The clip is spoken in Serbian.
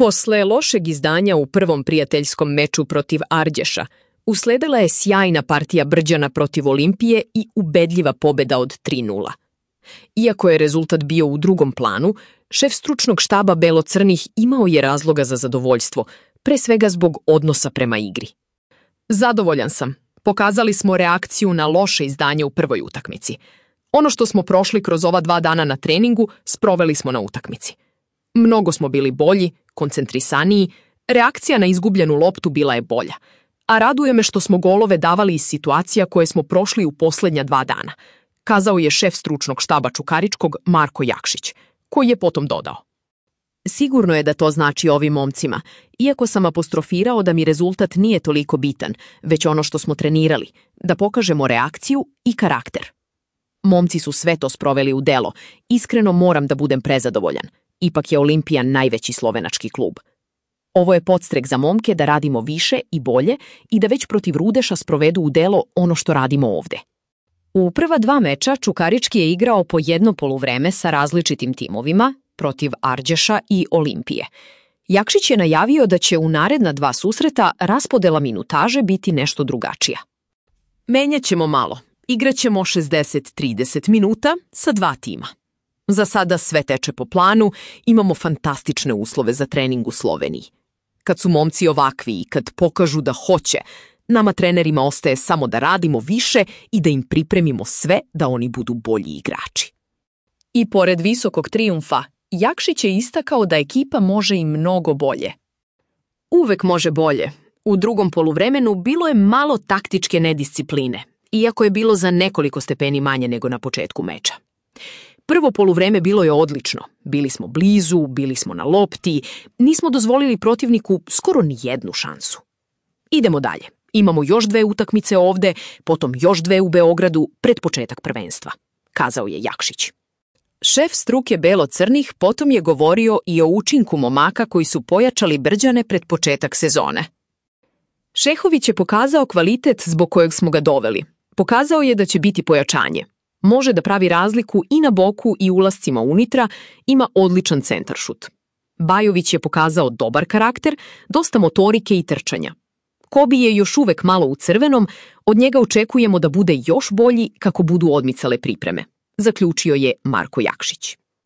Posle lošeg izdanja u prvom prijateljskom meču protiv Ardješa, usledila je sjajna partija Brđana protiv Olimpije i ubedljiva pobeda od 3:0. Iako je rezultat bio u drugom planu, šef stručnog štaba Belo-crnih imao je razloga za zadovoljstvo, pre svega zbog odnosa prema igri. Zadovoljan sam. Pokazali smo reakciju na loše izdanje u prvoj utakmici. Ono što smo prošli kroz ova 2 dana na treningu, sproveli smo na utakmici. Mnogo smo bili bolji, koncentrisaniji, reakcija na izgubljenu loptu bila je bolja, a raduje me što smo golove davali iz situacija koje smo prošli u posljednja 2 dana, kazao je šef stručnog štaba Čukaričkog Marko Jakšić, koji je potom dodao. Sigurno je da to znači ovim momcima, iako sam apostrofirao da mi rezultat nije toliko bitan, već ono što smo trenirali, da pokažemo reakciju i karakter. Momci su sve to sproveli u delo, iskreno moram da budem prezadovoljan. Ipak je Olimpija najveći slovenački klub. Ovo je podstrek za momke da radimo više i bolje i da već protiv Rudeša sprovedu u delo ono što radimo ovde. U prva 2 meča Čukarički je igrao po jedno poluvreme sa različitim timovima protiv Ardješa i Olimpije. Jakšić je najavio da će u naredna 2 susreta raspodela minutaže biti nešto drugačija. Menjaćemo malo. Igraćemo 60-30 minuta sa 2 tima. Za sada sve teče po planu, imamo fantastične uslove za trening u Sloveniji. Kad su momci ovakvi i kad pokažu da hoće, nama trenerima ostaje samo da radimo više i da im pripremimo sve da oni budu bolji igrači. I pored visokog trijumfa, Jakšić je istakao da ekipa može i mnogo bolje. Uvek može bolje. U drugom poluvremenu bilo je malo taktičke nediscipline, iako je bilo za nekoliko stepeni manje nego na početku meča. Prvo poluvreme bilo je odlično. Bili smo blizu, bili smo na lopti, nismo dozvolili protivniku skoro ni jednu šansu. Idemo dalje. Imamo još 2 utakmice ovde, potom još 2 u Beogradu pred početak prvenstva, kazao je Jakšić. Šef struke Belo-crnih potom je govorio i o učinku momaka koji su pojačali Brđane pred početak sezone. Šehović je pokazao kvalitet zbog kojeg smo ga doveli. Pokazao je da će biti pojačanje. Može da pravi razliku i na boku i ulascima unitra, ima odličan centaršut. Bajović je pokazao dobar karakter, dosta motorike i trčanja. Kobi je još uvek malo u crvenom, od njega očekujemo da bude još bolji kako budu odmicale pripreme, zaključio je Marko Jakšić.